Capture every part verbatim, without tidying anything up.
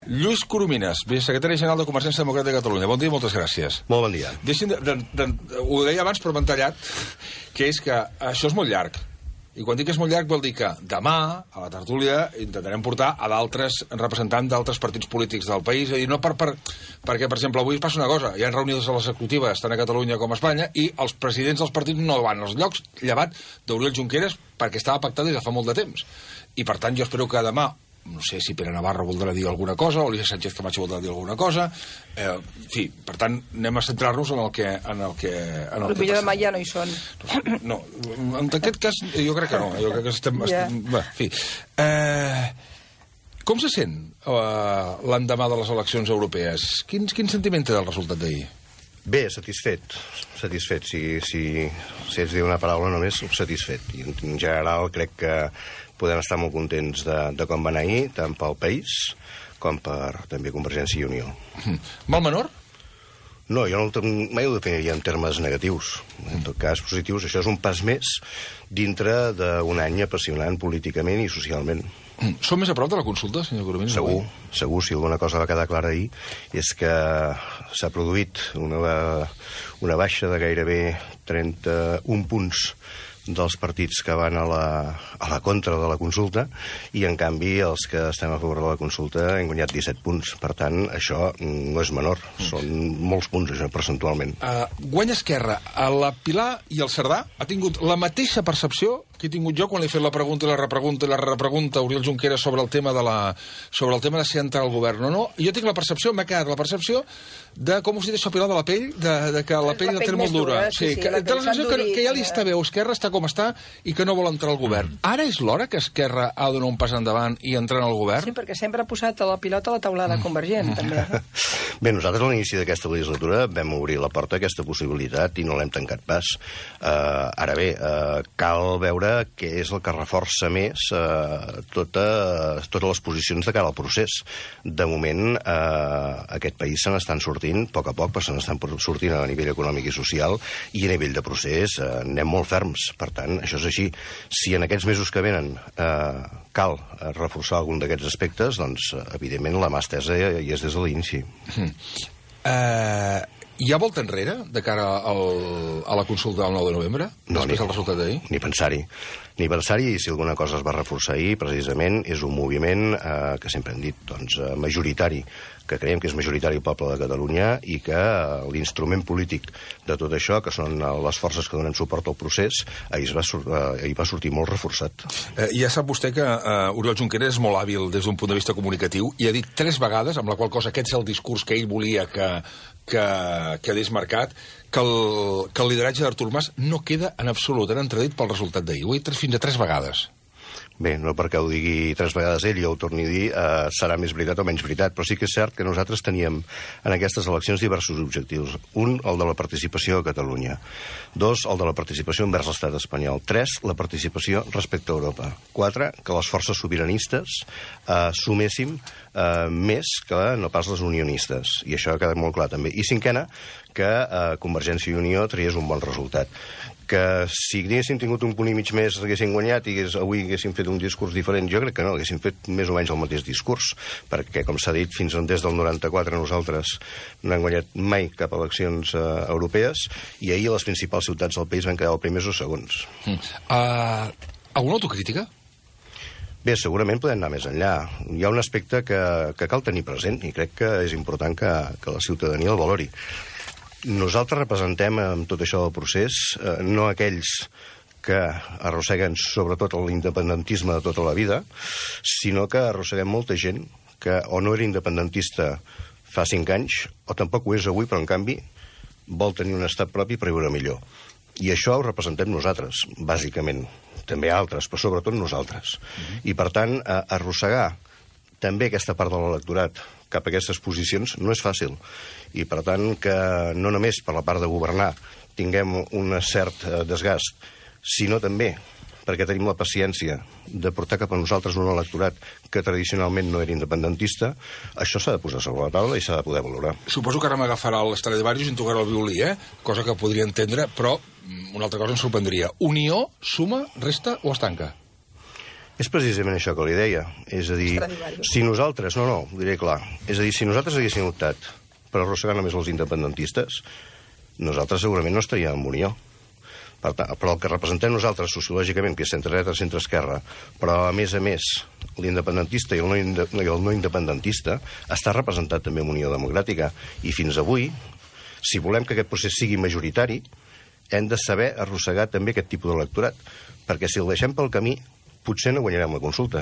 Lluís Coromines, vicesecretari general de Convergència Democràtica de Catalunya. Bon dia i moltes gràcies. Molt bon dia. Deixin de, de, de, ho deia abans, però m'he entallat, que és que això és molt llarg. I quan dic que és molt llarg vol dir que demà, a la tertúlia, intentarem portar a d'altres representants d'altres partits polítics del país. És a dir, no per, per, perquè, per exemple, avui passa una cosa. Hi ha reunions a l'executiva, tant a Catalunya com a Espanya, i els presidents dels partits no van als llocs, llevat d'Oriol Junqueras, perquè estava pactat des de fa molt de temps. I, per tant, jo espero que demà, no sé si Pere Navarro voldrà dir alguna cosa, o Alicia Sánchez Camacho voldrà dir alguna cosa, eh, en fi, per tant, anem a centrar-nos en el que en el que, en el el millor demà ja no hi són. No, en aquest cas jo crec que no, jo crec que estem... Ja. estem bé, en fi. Eh, com se sent eh, l'endemà de les eleccions europees? Quin, quin sentiment té del resultat d'ahir? Bé, satisfet. Satisfet, si, si, si ets dir una paraula només, satisfet. I en general crec que podem estar molt contents de, de com va anar ahir, tant pel país com per també Convergència i Unió. Mal menor? No, jo no, mai ho definiria en termes negatius. En tot cas, positius. Això és un pas més dintre d'un any apassionant políticament i socialment. Som més a prop de la consulta, senyor Coromines? Segur, segur. Si alguna cosa va quedar clara ahir és que s'ha produït una, una baixa de gairebé trenta-un punts dels partits que van a la, a la contra de la consulta, i en canvi els que estem a favor de la consulta hem guanyat disset punts. Per tant, això no és menor, són molts punts, això, percentualment. Uh, guanya Esquerra. A la Pilar i el Cerdà ha tingut la mateixa percepció que he tingut jo quan li he fet la pregunta i la repregunta i la repregunta a Oriol Junqueras sobre el tema de la, sobre el tema de si entrar al govern o no. Jo tinc la percepció, m'ha quedat la percepció de, com us dit això, Pilar, de la pell, de, de que la pell la, la té molt dura. Sí, sí, que, la té la sensació que, que ja li està bé, o Esquerra està com està i que no vol entrar al govern. Ara és l'hora que Esquerra ha de donar un pas endavant i entrar en el govern? Sí, perquè sempre ha posat la pilota a la taulada convergent, també. Bé, nosaltres a l'inici d'aquesta legislatura vam obrir la porta a aquesta possibilitat i no l'hem tancat pas. Uh, ara bé, uh, cal veure què és el que reforça més uh, tota, totes les posicions de cara al procés. De moment, uh, aquest país se n'estan sortint, a poc a poc, però se n'estan sortint a nivell econòmic i social, i a nivell de procés uh, anem molt ferms. Per tant, això és així. Si en aquests mesos que venen uh, cal uh, reforçar algun d'aquests aspectes, doncs, uh, evidentment, la mà estesa hi és des de l'inici. Mm. Uh, hi ha volta enrere de cara al, a la consulta del nou de novembre? No, després ni, del resultat d'ahir? Ni pensar-hi. Ni pensar-hi, i si alguna cosa es va reforçar ahir, precisament, és un moviment eh, que sempre hem dit, doncs, eh, majoritari, que creiem que és majoritari el poble de Catalunya, i que eh, l'instrument polític de tot això, que són eh, les forces que donen suport al procés, ahir va, eh, ahir va sortir molt reforçat. Eh, ja sap vostè que eh, Oriol Junqueras és molt hàbil des d'un punt de vista comunicatiu i ha dit tres vegades, amb la qual cosa aquest és el discurs que ell volia que, que quedés marcat, que el, que el lideratge d'Artur Mas no queda en absolut en entredit pel resultat d'ahir. Ho he dit fins a tres vegades. Bé, no perquè ho digui tres vegades ell, jo ho torni a dir, eh, serà més veritat o menys veritat, però sí que és cert que nosaltres teníem en aquestes eleccions diversos objectius. Un, el de la participació a Catalunya. Dos, el de la participació envers l'estat espanyol. Tres, la participació respecte a Europa. Quatre, que les forces sobiranistes eh, suméssim eh, més que no pas les unionistes. I això ha quedat molt clar també. I cinquena, que eh, Convergència i Unió triés un bon resultat. Que si haguéssim tingut un punt i mig més haguéssim guanyat i hagués, avui haguéssim fet un discurs diferent, jo crec que no, haguéssim fet més o menys el mateix discurs, perquè, com s'ha dit, fins des del noranta-quatre nosaltres no hem guanyat mai cap eleccions uh, europees, i ahir les principals ciutats del país van quedar els primers o segons. Mm. Uh, alguna autocrítica? Bé, segurament podem anar més enllà. Hi ha un aspecte que, que cal tenir present, i crec que és important que, que la ciutadania el valori. Nosaltres representem amb tot això del procés eh, no aquells que arrosseguen sobretot l'independentisme de tota la vida, sinó que arrosseguem molta gent que o no era independentista fa cinc anys, o tampoc ho és avui, però en canvi vol tenir un estat propi per viure millor. I això ho representem nosaltres, bàsicament. També altres, però sobretot nosaltres. Mm-hmm. I per tant, eh, arrossegar també aquesta part de l'electorat cap a aquestes posicions no és fàcil. I per tant que no només per la part de governar tinguem un cert desgast, sinó també perquè tenim la paciència de portar cap a nosaltres un electorat que tradicionalment no era independentista, això s'ha de posar sobre la taula i s'ha de poder valorar. Suposo que ara m'agafarà l'Stradivarius i em tocarà el violí, eh? Cosa que podria entendre, però una altra cosa em sorprendria. Unió, suma, resta o es tanca? És precisament això que li deia. És a dir, si nosaltres... No, no, ho diré clar. És a dir, si nosaltres haguéssim optat per arrossegar només els independentistes, nosaltres segurament no estaríem en unió. Per tant, però el que representem nosaltres sociològicament, que és centre-dreta, centre-esquerra, però a més a més l'independentista i el no, inde i el no independentista està representat també en Unió Democràtica. I fins avui, si volem que aquest procés sigui majoritari, hem de saber arrossegar també aquest tipus d'electorat, perquè si el deixem pel camí, potser no guanyarem la consulta.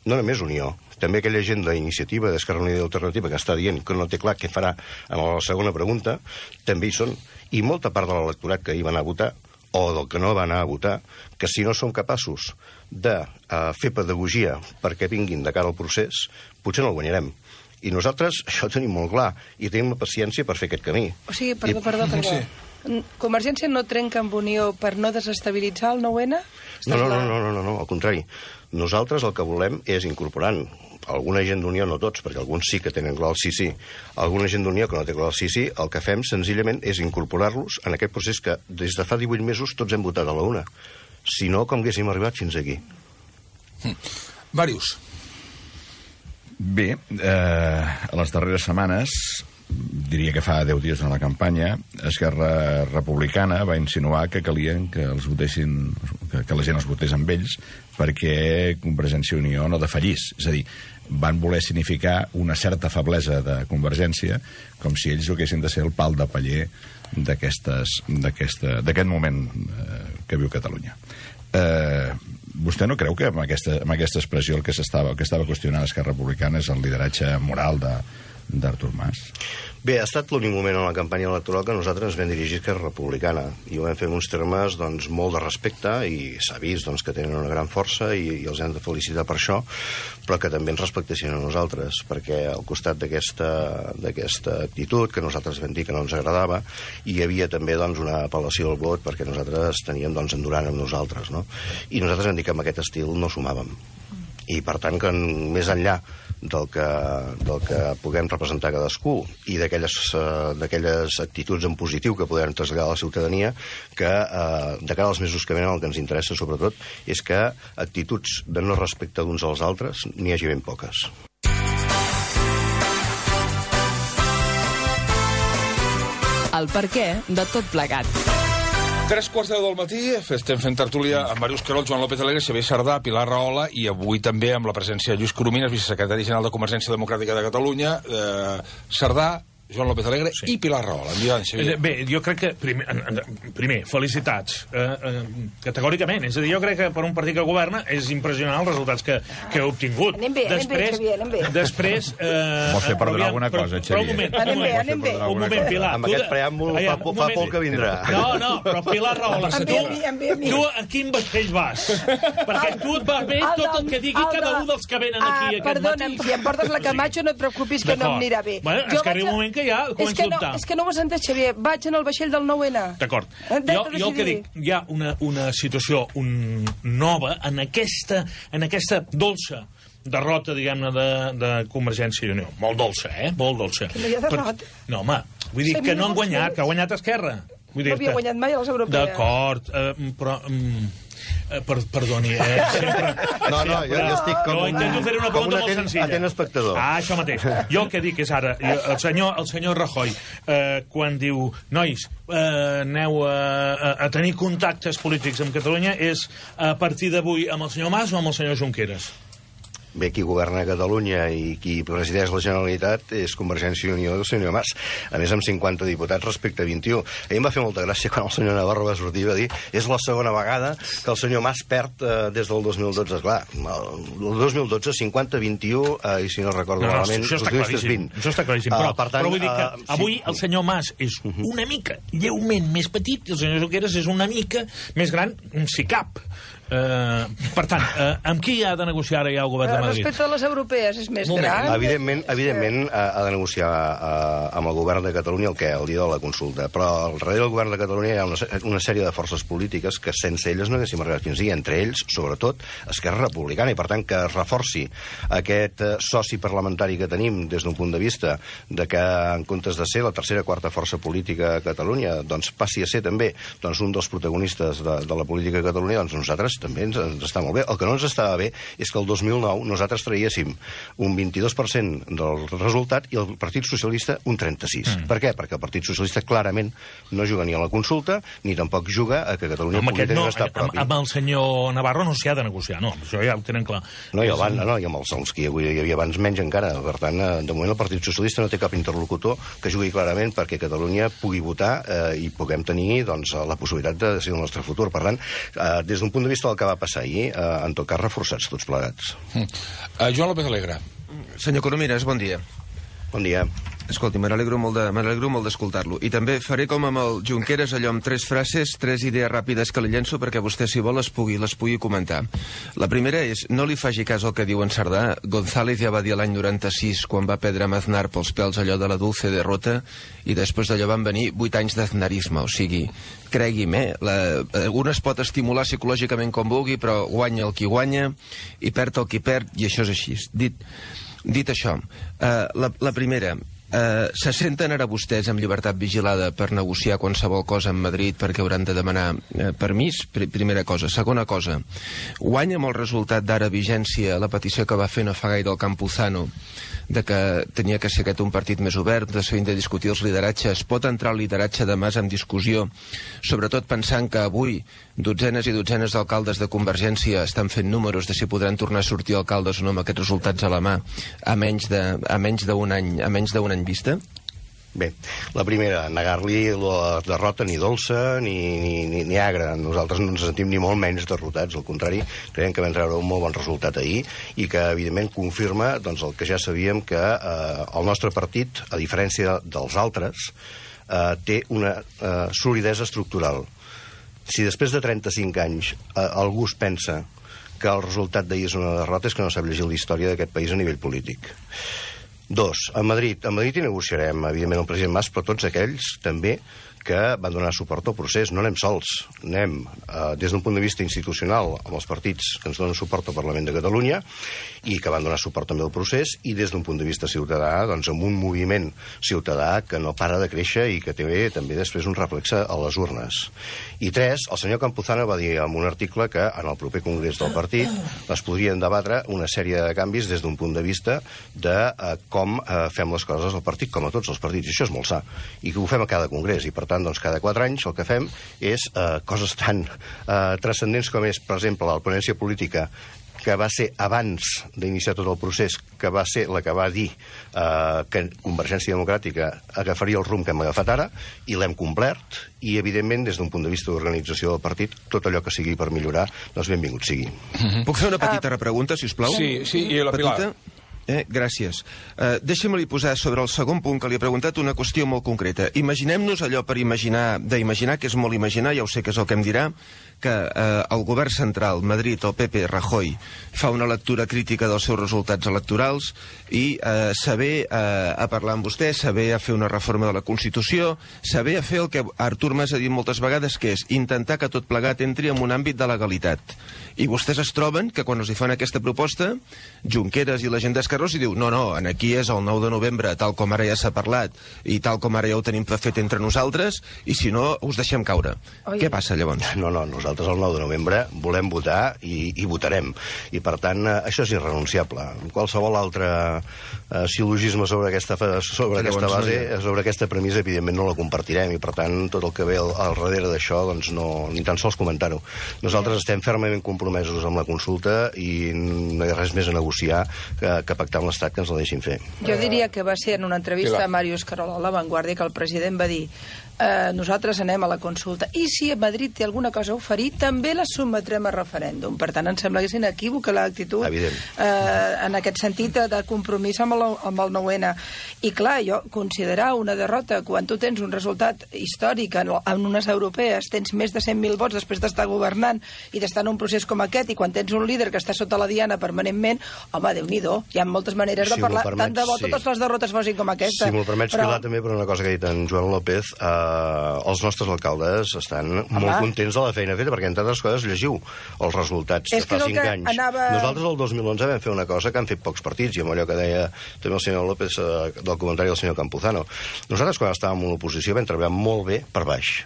No només Unió, també aquella gent d'iniciativa d'Esquerra Unida i Alternativa que està dient que no té clar què farà en la segona pregunta, també hi són. I molta part de l'electorat que hi va anar a votar, o del que no va anar a votar, que si no som capaços de uh, fer pedagogia perquè vinguin de cara al procés, potser no el guanyarem. I nosaltres això ho tenim molt clar, i tenim la paciència per fer aquest camí. O sigui, perdó, I... perdó, perdó. Sí. Convergència no trenca amb Unió per no desestabilitzar el nou ene? No, no, no, no, no, no, al contrari. Nosaltres el que volem és incorporant alguna gent d'Unió, no tots, perquè alguns sí que tenen clar el sí, sí. Alguna gent d'Unió que no té clar el sí, sí, el que fem senzillament és incorporar-los en aquest procés que des de fa divuit mesos tots hem votat a la una. Si no, com haguéssim arribat fins aquí. Hm. Màrius. Bé, eh, a les darreres setmanes, diria que fa deu dies en la campanya, Esquerra Republicana va insinuar que calien que els votessin, que, que la gent els votés amb ells perquè Convergència i Unió no defallís. És a dir, van voler significar una certa feblesa de Convergència, com si ells haguessin de ser el pal de paller d'aquest moment eh, que viu Catalunya. Eh, vostè no creu que amb aquesta, amb aquesta expressió el que s'estava que estava qüestionant Esquerra Republicana és el lideratge moral de d'Artur Mas? Bé, ha estat l'únic moment en la campanya electoral que nosaltres ens vam dirigir a Esquerra Republicana i ho vam fer en uns termes doncs, molt de respecte i s'ha vist doncs, que tenen una gran força i, i els hem de felicitar per això, però que també ens respectessin a nosaltres, perquè al costat d'aquesta d'aquesta actitud que nosaltres vam dir que no ens agradava hi havia també doncs, una apel·lació al vot perquè nosaltres teníem doncs, en Duran amb nosaltres, no? I nosaltres vam dir que amb aquest estil no sumàvem. I per tant que més enllà del que, del que puguem representar cadascú i d'aquelles uh, d'aquelles actituds en positiu que podem traslladar a la ciutadania, que uh, de cara als mesos que venen el que ens interessa sobretot és que actituds de no respecte d'uns als altres n'hi hagi ben poques. El perquè de tot plegat. Tres quarts de deu del matí, estem fent tertúlia amb Màrius Querol, Joan López Alegre, Xavier Sardà, Pilar Rahola i avui també amb la presència de Lluís Corominas, vicesecretari general de Convergència Democràtica de Catalunya, eh, Sardà, Joan López Alegre sí. i Pilar Rahola. Bé, jo crec que, primer, primer felicitats, eh, eh, categòricament. És a dir, jo crec que per un partit que governa és impressionant els resultats que, que ha obtingut. Anem bé, després, anem bé, Xavier, anem bé. Després... Eh, Vols fer perdonar alguna cosa, Xavier? Però un moment, anem bé, anem bé. Un moment, Pilar. Amb aquest preàmbul fa, fa por que vindrà. No, no, però Pilar Rahola, tu, tu a quin vaixell vas? Perquè tu et va bé tot el que digui cada un dels que venen aquí aquest matí. Perdona'm, si em portes la Camacho no et preocupis que no em anirà bé. Bueno, és que arriba un moment que ja començo a dubtar. És que no ho has entès, Xavier. Vaig en el vaixell del nou ene. D'acord. Jo, jo el que dic, hi ha una, una situació un, nova en aquesta, en aquesta dolça derrota, diguem-ne, de, de Convergència i Unió. Molt dolça, eh? Molt dolça. Que no hi ha derrota. Per... No, home, vull dir que no han guanyat, que ha guanyat Esquerra. Vull no havia guanyat mai a les europees. D'acord, eh, però... Mm, Eh, per, perdoni, eh? Sempre, no, no, jo, jo estic com, jo intento fer una pregunta un molt senzilla. atent espectador. Ah, això mateix. Jo el que dic és ara, el senyor, el senyor Rajoy, eh, quan diu, nois, eh, aneu a, a, a tenir contactes polítics amb Catalunya, és a partir d'avui amb el senyor Mas o amb el senyor Junqueras? Bé, qui governa Catalunya i qui presideix la Generalitat és Convergència i Unió del senyor Mas. A més, amb cinquanta diputats respecte a vint-i-u. A mi em va fer molta gràcia quan el senyor Navarro va sortir i va dir és la segona vegada que el senyor Mas perd eh, des del dos mil dotze. Clar, el dos mil dotze, cinquanta vint-i-u, eh, i si no recordo no, no, malament, això està claríssim. Això està claríssim. Però, uh, per tant, però vull dir que uh, avui sí. el senyor Mas és una mica lleument més petit i el senyor Junqueras és una mica més gran, si cap. Uh, per tant, uh, amb qui ha de negociar ara ja el govern de Madrid? Respecte a les europees és més gran. Evidentment, evidentment ha de negociar uh, amb el govern de Catalunya el que el dia de la consulta, però al darrere del govern de Catalunya hi ha una, una sèrie de forces polítiques que sense elles no haguéssim arribat fins aquí, entre ells, sobretot, Esquerra Republicana, i per tant que es reforci aquest uh, soci parlamentari que tenim des d'un punt de vista de que en comptes de ser la tercera o quarta força política a Catalunya, doncs passi a ser també doncs, un dels protagonistes de, de la política a Catalunya, doncs nosaltres també ens, ens està molt bé. El que no ens estava bé és que el dos mil nou nosaltres traguéssim un vint-i-dos per cent del resultat i el Partit Socialista un trenta-sis. Mm. Per què? Perquè el Partit Socialista clarament no juga ni a la consulta ni tampoc juga a que Catalunya amb pugui tenir no, un estat propi. Amb el senyor Navarro no s'hi ha de negociar, no, això ja ho tenen clar. No, i, abans, no, i amb els, els que hi havia abans menys encara. Per tant, de moment el Partit Socialista no té cap interlocutor que jugui clarament perquè Catalunya pugui votar eh, i puguem tenir doncs, la possibilitat de decidir el nostre futur. Per tant, eh, des d'un punt de vista del que va passar ahir, eh, en tot cas reforçats tots plegats. Mm. Uh, Joan López Alegre. Senyor Corominas, bon dia. Bon dia. Escolti, m'alegro molt de, m'alegro molt d'escoltar-lo. I també faré com amb el Junqueras, allò amb tres frases, tres idees ràpides que li llenço perquè vostè, si vol, les pugui, les pugui comentar. La primera és, no li faci cas al que diu en Cerdà. González ja va dir l'any noranta-sis, quan va perdre amb Aznar pels pèls allò de la dulce derrota, i després d'allò van venir vuit anys d'aznarisme. O sigui, cregui'm, eh? La, un es pot estimular psicològicament com vulgui, però guanya el qui guanya i perd el qui perd, i això és així. Dit, dit això, eh, la, la primera... Uh, se senten ara vostès amb llibertat vigilada per negociar qualsevol cosa amb Madrid perquè hauran de demanar uh, permís? Pr primera cosa. Segona cosa, guanya amb el resultat d'ara vigència la petició que va fer no fa gaire el Campuzano de que tenia que ser aquest un partit més obert, de de discutir els lideratges. Pot entrar el lideratge de Mas en discussió, sobretot pensant que avui dotzenes i dotzenes d'alcaldes de Convergència estan fent números de si podran tornar a sortir alcaldes o no amb aquests resultats a la mà a menys de, a menys d'un any, a menys d'un any vista? Bé, la primera, negar-li la derrota ni dolça ni, ni, ni, ni agra. Nosaltres no ens sentim ni molt menys derrotats, al contrari, creiem que vam treure un molt bon resultat ahir i que, evidentment, confirma doncs, el que ja sabíem, que eh, el nostre partit, a diferència dels altres, eh, té una eh, solidesa estructural. Si després de trenta-cinc anys eh, algú es pensa que el resultat d'ahir és una derrota, és que no sap llegir la història d'aquest país a nivell polític. Dos, a Madrid. A Madrid hi negociarem, evidentment, el president Mas, però tots aquells també que van donar suport al procés. No anem sols, anem eh, des d'un punt de vista institucional amb els partits que ens donen suport al Parlament de Catalunya i que van donar suport també al procés, i des d'un punt de vista ciutadà, doncs amb un moviment ciutadà que no para de créixer i que té també després un reflexe a les urnes. I tres, el senyor Campuzano va dir en un article que en el proper congrés del partit es podrien debatre una sèrie de canvis des d'un punt de vista de eh, com eh, fem les coses al partit, com a tots els partits. I això és molt sa, i que ho fem a cada congrés, i per tant, doncs, cada quatre anys el que fem és eh, coses tan eh, transcendents com és, per exemple, la ponència política, que va ser abans d'iniciar tot el procés, que va ser la que va dir eh, que Convergència Democràtica agafaria el rumb que hem agafat ara, i l'hem complert, i evidentment des d'un punt de vista d'organització del partit, tot allò que sigui per millorar, doncs benvingut sigui. Mm-hmm. Puc fer una petita uh, repregunta, si us plau? Sí, sí, i la Pilar. Petita? Eh, gràcies. Eh, Deixa'm-li posar sobre el segon punt que li he preguntat una qüestió molt concreta. Imaginem-nos allò per imaginar, d'imaginar, que és molt imaginar, ja ho sé que és el que em dirà, que eh, el govern central, Madrid, el P P, Rajoy, fa una lectura crítica dels seus resultats electorals i eh, saber eh, a parlar amb vostè, saber a fer una reforma de la Constitució, saber a fer el que Artur Mas ha dit moltes vegades, que és intentar que tot plegat entri en un àmbit de legalitat. I vostès es troben que quan els hi fan aquesta proposta, Junqueras i la gent d'Esquerra i diu, no, no, aquí és el nou de novembre, tal com ara ja s'ha parlat, i tal com ara ja ho tenim fet entre nosaltres, i si no, us deixem caure. Oi. Què passa, llavors? No, no, nosaltres el nou de novembre volem votar i, i votarem. I, per tant, això és irrenunciable. Qualsevol altre eh, sil·logisme sobre aquesta, sobre aquesta base, sobre aquesta premissa, evidentment no la compartirem, i, per tant, tot el que ve al, al darrere d'això, doncs no, ni tan sols comentar-ho. Nosaltres estem fermament compromesos amb la consulta i no hi ha res més a negociar que, que pactar amb l'Estat que ens la deixin fer. Jo diria que va ser en una entrevista a Màrius Carol a La Vanguardia que el president va dir eh, nosaltres anem a la consulta i si a Madrid té alguna cosa a oferir també la sotmetrem a referèndum. Per tant, em sembla que és inequívoca l'actitud eh, en aquest sentit de compromís amb el, amb el nou ena. I clar, jo considerar una derrota quan tu tens un resultat històric en, en unes europees, tens més de cent mil vots després d'estar governant i d'estar en un procés com aquest, i quan tens un líder que està sota la diana permanentment, home, Déu-n'hi-do, hi ha moltes maneres de si parlar, permets, tant de bo sí. totes les derrotes fossin com aquesta. Si m'ho permets, però... Pilar, també per una cosa que ha dit en Joan López, eh, els nostres alcaldes estan Home. molt contents de la feina feta, perquè entre altres coses llegiu els resultats és de fa cinc anys. Anava... Nosaltres el dos mil onze vam fer una cosa que han fet pocs partits, i amb allò que deia també el senyor López, eh, del comentari del senyor Campuzano. Nosaltres, quan estàvem en l'oposició, vam treballar molt bé per baix.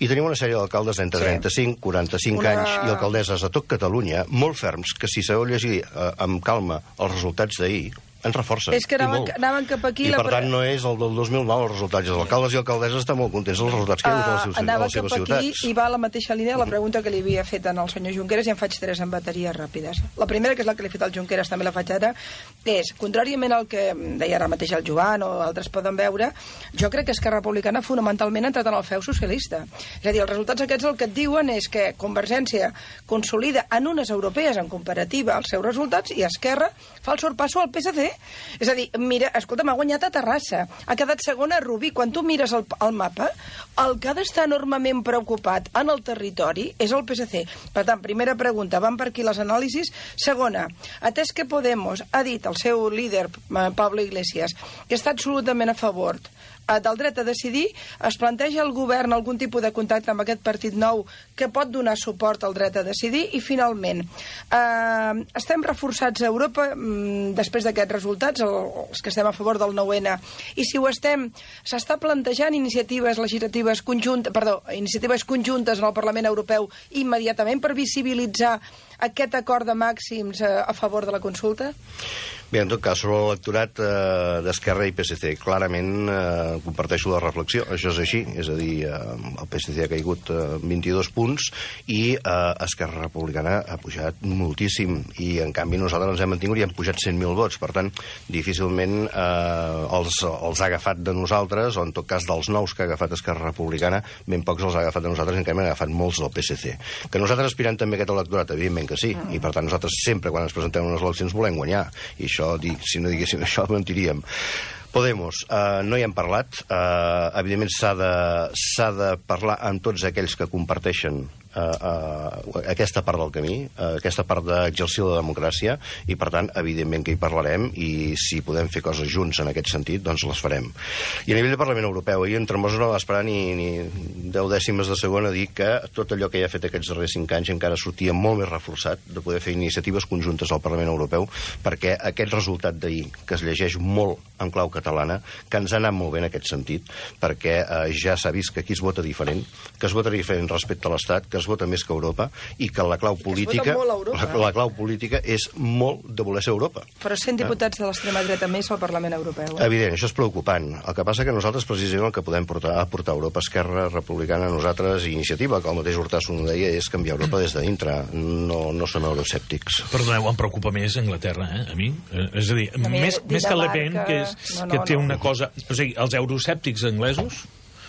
I tenim una sèrie d'alcaldes d'entre sí. trenta-cinc, quaranta-cinc una... anys i alcaldesses a tot Catalunya, molt ferms, que si sabeu llegir eh, amb calma els resultats d'ahir, ens reforcen. És que anaven, anaven cap aquí... I per tant no és el del dos mil nou els resultats. Els alcaldes i alcaldesses estan molt contents dels resultats que hi ha hagut a les seves, uh, a les seves ciutats. Aquí i va a la mateixa línia la pregunta que li havia fet al senyor Junqueras, i en faig tres en bateries ràpides. La primera, que és la que li he fet al Junqueras, també la faig ara, és, contràriament al que deia ara mateix el Joan o altres poden veure, jo crec que Esquerra Republicana fonamentalment ha entrat en el feu socialista. És a dir, els resultats aquests el que et diuen és que Convergència consolida en unes europees en comparativa els seus resultats i Esquerra fa el sorpasso al P S C. És a dir, mira, escolta'm, ha guanyat a Terrassa, ha quedat segona a Rubí. Quan tu mires el, el mapa, el que ha d'estar enormement preocupat en el territori és el P S C. Per tant, primera pregunta, van per aquí les anàlisis. Segona, atès que Podemos ha dit el seu líder, Pablo Iglesias, que està absolutament a favor del dret a decidir, es planteja el govern algun tipus de contacte amb aquest partit nou que pot donar suport al dret a decidir. I finalment, eh, estem reforçats a Europa mm, després d'aquests resultats, els que estem a favor del nou ene, i si ho estem, s'està plantejant iniciatives legislatives conjuntes, perdó, iniciatives conjuntes en el Parlament Europeu immediatament per visibilitzar aquest acord de màxims eh, a favor de la consulta? Bé, en tot cas, sobre l'electorat eh, d'Esquerra i P S C, clarament eh, comparteixo la reflexió. Això és així, és a dir, eh, el P S C ha caigut eh, vint-i-dos punts i eh, Esquerra Republicana ha pujat moltíssim i, en canvi, nosaltres ens hem mantingut i hem pujat cent mil vots. Per tant, difícilment eh, els, els ha agafat de nosaltres, o en tot cas dels nous que ha agafat Esquerra Republicana, ben pocs els ha agafat de nosaltres, en canvi han agafat molts del P S C. Que nosaltres aspirem també a aquest electorat, evidentment que sí, i per tant nosaltres sempre, quan ens presentem unes eleccions, volem guanyar. I això, si no diguéssim això, mentiríem. Podemos, eh, no hi hem parlat. Eh, evidentment s'ha de, s'ha de parlar amb tots aquells que comparteixen eh, eh, aquesta part del camí, eh, aquesta part d'exercir la democràcia, i per tant, evidentment que hi parlarem, i si podem fer coses junts en aquest sentit, doncs les farem. I a nivell del Parlament Europeu, ahir en Tremosa no va esperar ni, ni deu dècimes de segon a dir que tot allò que ja ha fet aquests darrers cinc anys encara sortia molt més reforçat de poder fer iniciatives conjuntes al Parlament Europeu, perquè aquest resultat d'ahir, que es llegeix molt en clau catalana, que ens ha anat molt bé en aquest sentit, perquè eh, ja s'ha vist que aquí es vota diferent, que es vota diferent respecte a l'Estat, que es vota més que Europa, i que la clau política, la, la clau política és molt de voler ser Europa. Però cent diputats de l'extrema dreta més al Parlament Europeu. Eh? Evident, això és preocupant. El que passa que nosaltres, precisament, el que podem portar a portar a Europa, Esquerra Republicana, nosaltres, i Iniciativa, que el mateix Hortasso no deia, és canviar Europa des de dintre. No, no som euroscèptics. Perdoneu, em preocupa més Anglaterra, eh, a mi. Eh, és a dir, a mi més, més que Le Pen, que, és, no, no, que té no. una cosa... O sigui, els euroscèptics anglesos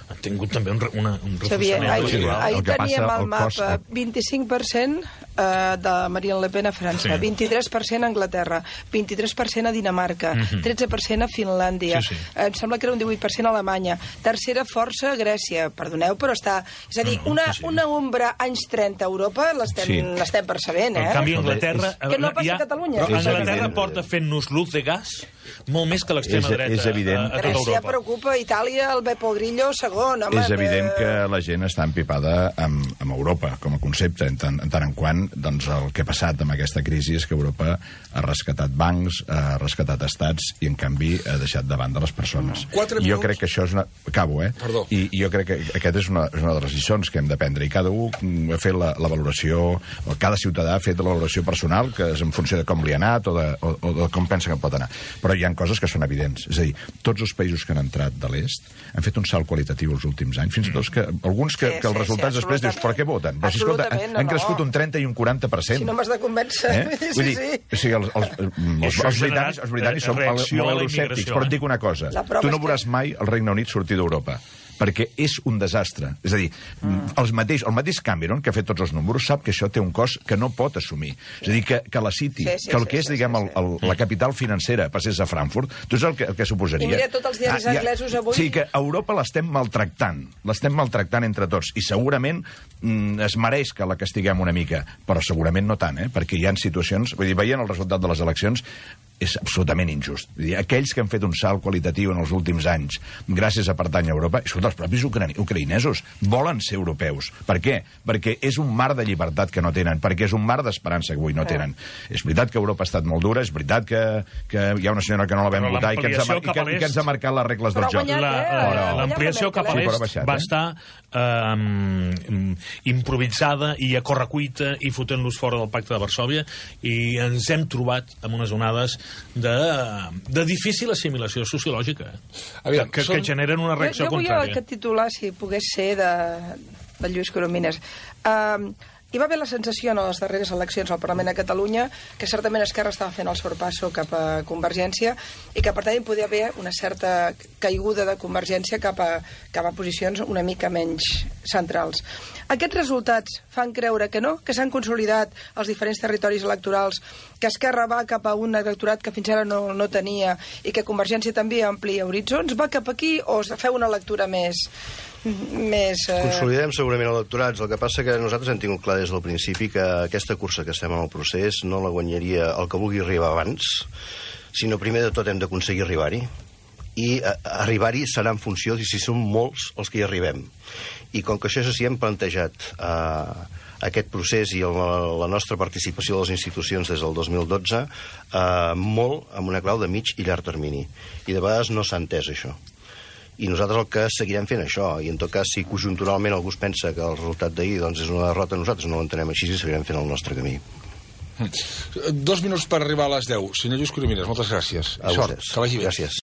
han tingut també un, una, un reforçament. Ahir, ahir teníem al mapa vint-i-cinc per cent eh, de Marine Le Pen a França, sí. vint-i-tres per cent a Anglaterra, vint-i-tres per cent a Dinamarca, uh-huh. tretze per cent a Finlàndia, sí, sí. Eh, em sembla que era un divuit per cent a Alemanya, tercera força a Grècia, perdoneu, però està... És a dir, una, sí, sí. una ombra anys trenta a Europa l'estem sí. percebent, eh? En canvi, Anglaterra... Que no passa a Catalunya. Però Anglaterra porta fent-nos luz de gas molt més que l'extrema dreta és evident. a, a tota Europa. Grècia preocupa, Itàlia, el Bepo Grillo, segon. Home, és evident que la gent està empipada amb, amb Europa com a concepte, en tant en, tant en quant doncs, el que ha passat amb aquesta crisi és que Europa ha rescatat bancs, ha rescatat estats i, en canvi, ha deixat de banda les persones. Quatre jo crec que això és una... Acabo, eh? Perdó. I, I jo crec que aquest és una, és una de les lliçons que hem d'aprendre. I cada un ha fet la, la valoració, o cada ciutadà ha fet la valoració personal, que és en funció de com li ha anat o de, o, o de com pensa que pot anar. Però hi ha coses que són evidents. És a dir, tots els països que han entrat de l'est han fet un salt qualitatiu els últims anys, fins i tot que alguns que, sí, que els sí, resultats sí, després dius, per què voten? Però si, escolta, han, han crescut un trenta i un quaranta per cent. Si no m'has de convèncer. Eh? Sí, Vull dir, sí. O sigui, els, els, els, els britànics, els britànics són molt euroscèptics, però et dic una cosa, tu no veuràs mai el Regne Unit sortir d'Europa, perquè és un desastre. És a dir, mm. els mateix, el mateix Cameron, que ha fet tots els números, sap que això té un cost que no pot assumir. És a dir, que, que la City, sí, sí, que el que és, sí, diguem, sí, sí. El, el, la capital financera passés a Frankfurt, tu saps el que, el que suposaria? I mira tots els diaris ah, anglesos avui... Sí, que Europa l'estem maltractant, l'estem maltractant entre tots, i segurament mm, es mereix que la castiguem una mica, però segurament no tant, eh? Perquè hi ha situacions... Vull dir, veient el resultat de les eleccions, és absolutament injust. Vull dir, aquells que han fet un salt qualitatiu en els últims anys gràcies a pertànyer a Europa, són els propis ucraïnesos. Volen ser europeus. Per què? Perquè és un mar de llibertat que no tenen, perquè és un mar d'esperança que avui no tenen. És veritat que Europa ha estat molt dura, és veritat que, que hi ha una senyora que no la vam votar i que, ens ha, i, que, i que ens ha marcat les regles del joc. L'ampliació cap a l'est va estar eh, improvisada i a correcuita i fotent-los fora del pacte de Varsòvia, i ens hem trobat amb unes onades de, de difícil assimilació sociològica, Aviam, que, són... que generen una reacció jo, jo contrària. Jo vull aquest titular, si pogués ser, de, de Lluís Coromines. Uh, hi va haver la sensació en les darreres eleccions al Parlament de Catalunya que certament Esquerra estava fent el sorpasso cap a Convergència i que per tant hi podia haver una certa caiguda de Convergència cap a, cap a posicions una mica menys centrals. Aquests resultats fan creure que no, que s'han consolidat els diferents territoris electorals, que Esquerra va cap a un electorat que fins ara no, no tenia i que Convergència també amplia horitzons. Va cap aquí o feu una lectura més... més eh... Consolidem segurament electorats. El que passa que nosaltres hem tingut clar des del principi que aquesta cursa que estem en el procés no la guanyaria el que vulgui arribar abans, sinó primer de tot hem d'aconseguir arribar-hi. I a, a arribar-hi serà en funció de si són molts els que hi arribem. I com que això és així, hem plantejat eh, aquest procés i el, la nostra participació a les institucions des del dos mil dotze eh, molt amb una clau de mig i llarg termini. I de vegades no s'ha entès això. I nosaltres el que seguirem fent això, i en tot cas si conjunturalment algú es pensa que el resultat d'ahir doncs, és una derrota, nosaltres no ho entenem així i seguirem fent el nostre camí. Dos minuts per arribar a les deu. Senyor Lluís Coromines, moltes gràcies. A sort, que vagi bé. Gràcies.